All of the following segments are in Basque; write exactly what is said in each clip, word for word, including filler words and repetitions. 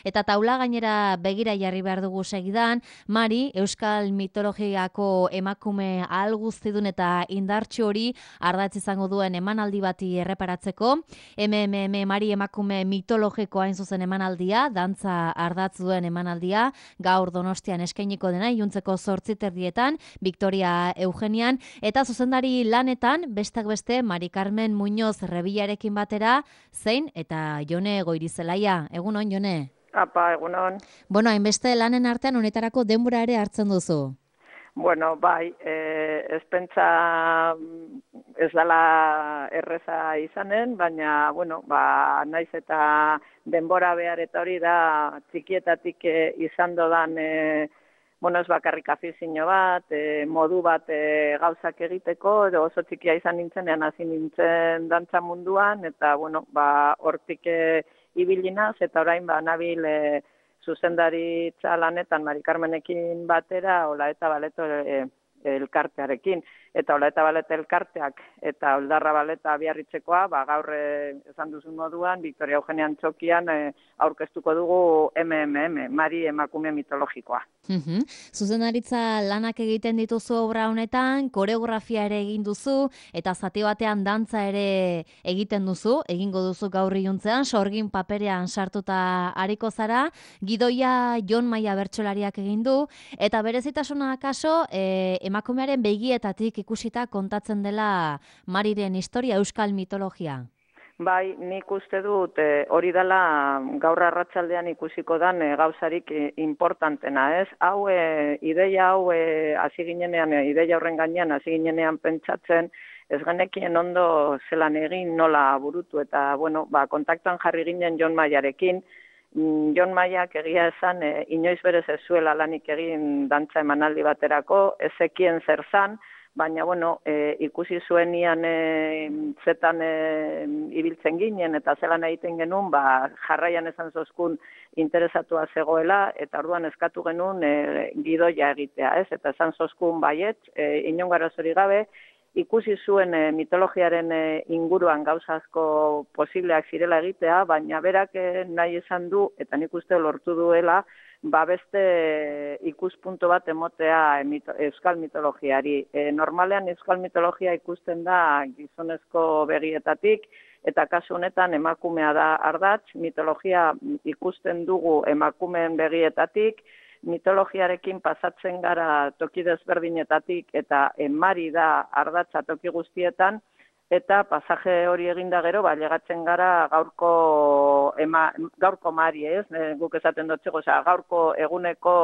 Eta taula gainera begira jarri behar dugu segidan, Mari, Euskal mitologiako emakume ahal guztidun eta indartsu hori ardatz izango duen emanaldi bati erreparatzeko. M M M Mari emakume mitologiko hain zuzen emanaldia, dantza ardatz duen emanaldia, gaur Donostian eskainiko dena, iluntzeko zortziterdietan, Victoria Eugenian, eta zuzendari lanetan, bestak beste, Mari Carmen Muñoz Rebillarekin batera, zein eta Jone Goirizelaia. Egunon, Jone? Apa, egunon. Bueno, hainbeste lanen artean honetarako denbora ere hartzen duzu. Bueno, bai, eh, ez pentsa ez dela erreza izanen, baina, bueno, ba, naiz eta denbora behar eta hori da txikietatik eh, izan dodan, eh, bueno, ez bakarrik afizio bat, eh, modu bat eh, gauzak egiteko, edo oso txikia izan nintzenean hasi nintzen dantza munduan, eta, bueno, ba, hortik eh, ibilinaz, eta orain ba, nabil e, zuzendaritza lanetan Mari Carmenekin batera, Ola eta Baleto e, elkartearekin. Eta Ola eta Baleta elkarteak eta Oldarra Baleta Biarritzekoa, ba, gaur e, esan duzun moduan, Victoria Eugenian txokian e, aurkeztuko dugu M M M, Mari emakume mitologikoa. Uhum. Zuzendaritza lanak egiten dituzu obra honetan, koreografia ere egin duzu, eta zati batean dantza ere egiten duzu, egingo duzu gaur iluntzean, sorgin paperean sartuta ariko zara, gidoia Jon Maia bertsolariak egin du, eta berezitasuna kaso, e, emakumearen begietatik ikusita kontatzen dela Mariren historia, euskal mitologia. Bai, nik uste dut e, hori dela gaur arratsaldean ikusiko dan e, gauzarik e, importantena, ez? Hau, e, ideia hau, e, hasi ginenean, e, ideia horren gainean, hasi ginenean pentsatzen, ez genekien ondo zelan egin nola burutu, eta, bueno, ba, kontaktuan jarri ginen Jon Maiarekin. Jon Maiak egia esan, e, inoiz berez ez zuela lanik egin dantza emanaldi baterako, ezekien zer zan, baina, bueno, e, ikusi zuenian e, zetan e, ibiltzen ginen eta zelan egiten genuen, ba, jarraian esan zozkun interesatua zegoela, eta orduan eskatu genuen e, gidoia egitea, ez? Eta esan zozkun baiet, e, inongarazori gabe, ikusi zuen e, mitologiaren e, inguruan gauzazko posibleak zirela egitea, baina berak e, nahi esan du, eta nik uste lortu duela, ba beste ikuspuntu bat emotea mito, euskal mitologiari. E, normalean euskal mitologia ikusten da gizonezko begietatik, eta kasu honetan emakumea da ardatz, mitologia ikusten dugu emakumeen begietatik, mitologiarekin pasatzen gara toki desberdinetatik, eta Mari da ardatza toki guztietan, eta pasaje hori eginda gero, ba, llegatzen gara gaurko, ema, gaurko Mari, ez? E, guk esaten dutxego, oza, gaurko eguneko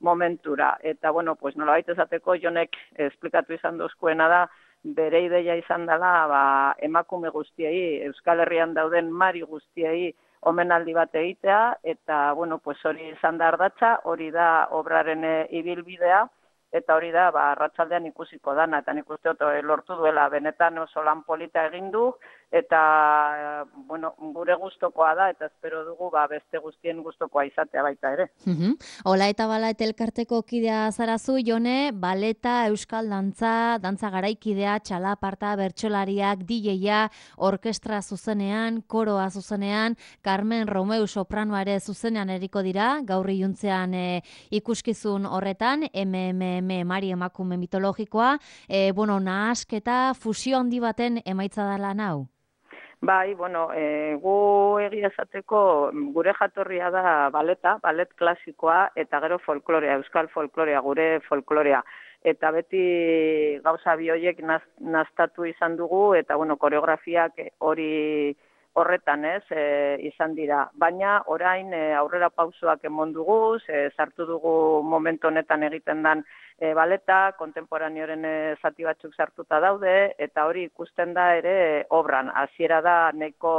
momentura. Eta, bueno, pues nola baita esateko, Jonek esplikatu izan dozkuena da, bere ideia izan dela, ba, emakume guztiei, Euskal Herrian dauden Mari guztiei omenaldi bat egitea, eta, bueno, pues hori izan da ardatza, hori da obraren e, ibilbidea, eta hori da, ba, arratsaldean ikusiko dana, eta nik uste dut lortu duela, benetan oso lan polita egin du, eta, bueno, gure gustokoa da, eta espero dugu, ba, beste guztien gustokoa izatea baita ere. Uhum. Ola eta Baleta elkarteko kidea zarazu, Jone, baleta, euskal dantza, dantza garaikidea, txalaparta, bertsolariak, D J-a, orkestra zuzenean, koroa zuzenean, Carmen Romeu sopranoa ere zuzenean eriko dira, gaur iluntzean e, ikuskizun horretan, M M M Mari emakume mitologikoa, e, bueno, nahasketa, fusio handi baten emaitza da lan hau? Bai, bueno, e, gu egia esateko gure jatorria da baleta, balet klasikoa, eta gero folklorea, euskal folklorea, gure folklorea. Eta beti gauza bi horiek naz, naztatu izan dugu, eta bueno, koreografiak hori horretan ez e, izan dira. Baina orain e, aurrera pausoak emon dugu, e, sartu dugu momentu honetan egiten dan e, baleta, kontemporaneoren e, zati batzuk sartuta daude, eta hori ikusten da ere e, obran. Hasiera da neko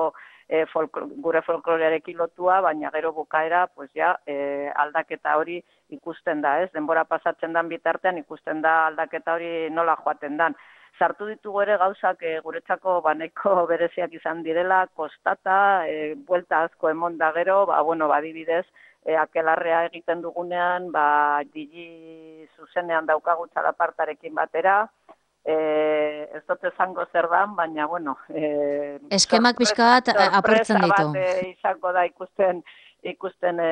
e, folklo, gure folklorearekin lotua, baina gero bukaera pues ja, e, aldaketa hori ikusten da, ez? Denbora pasatzen dan bitartean ikusten da aldaketa hori nola joaten dan. Sartu ditugu ere gauzak e, guretzako baneko bereziak izan direla, kostata, e, buelta asko emon da gero, ba, bueno, badibidez, e, akelarrea egiten dugunean, ba, digi zuzenean daukagu txalapartarekin batera, e, ez dut esango zer dan, baina, bueno... E, eskemak pixka bat aportzen ditu. Sorpresa bat e, izango da ikusten ikusten e,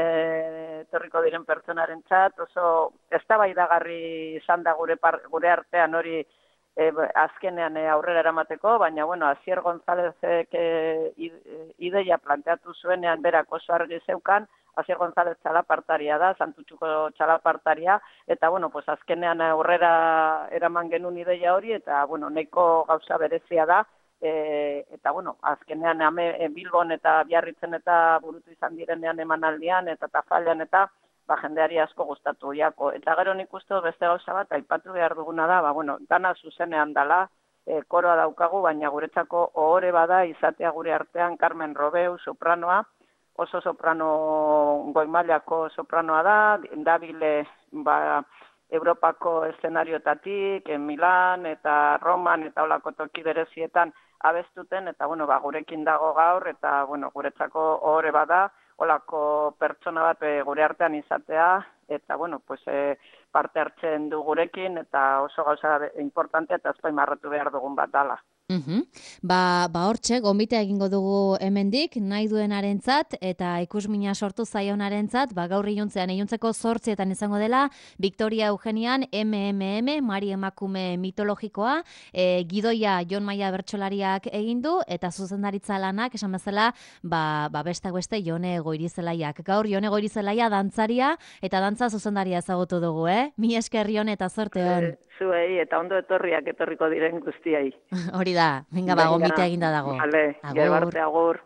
etorriko diren pertsonarentzat, oso eztabaidagarri izan da gure, par, gure artean hori e, azkenean e, aurrera eramateko, baina, bueno, Asier Gonzálezek e, ideia planteatu zuenean berak oso argi zeukan, Asier González txalapartaria da, Santutxuko txalapartaria, eta, bueno, pues azkenean aurrera eraman genuen ideia hori, eta, bueno, nahiko gauza berezia da, e, eta, bueno, azkenean ame, e, Bilbon eta Biarritzen eta burutu izan direnean emanaldian, eta Tafallan eta, ba, jendeari asko gustatu jako. Eta gero nik uste dut beste gauza bat, aipatu behar duguna da, ba, bueno, dana zuzenean dala, e, koroa daukagu, baina guretzako ohore bada izatea gure artean Carmen Robeu, sopranoa, oso soprano goimailako sopranoa da, dabile ba, Europako eszenarioetatik, Milan eta Roman eta olako toki berezietan abestuten, eta bueno, ba, gurekin dago gaur, eta bueno, guretzako ohore bada, olako pertsona bat e, gure artean izatea, eta bueno, pues, e, parte hartzen du gurekin, eta oso gauza importante eta azpimarratu behar dugun bat dala. Uhum. Ba, ba hortxe, gonbitea egingo dugu hemendik, nahi duenarentzat eta ikusmina sortu zaionarentzat, ba gaur iluntzean, iluntzeko zortzietan izango dela, Victoria Eugenian M M M, Mari emakume mitologikoa, e, gidoia Jon Maia bertsolariak egin du, eta zuzendaritza lanak, esan bezala, ba, ba bestak beste Jone Goirizelaiak. Gaur Jone Goirizelaia dantzaria eta dantza zuzendaria ezagutu dugu, eh? Mi esker Jon eta zorte hon. E, zuei, eta ondo etorriak etorriko diren guztiai. Hori da, venga, ba, gonbitea eginda dago. Vale, gero arte agur.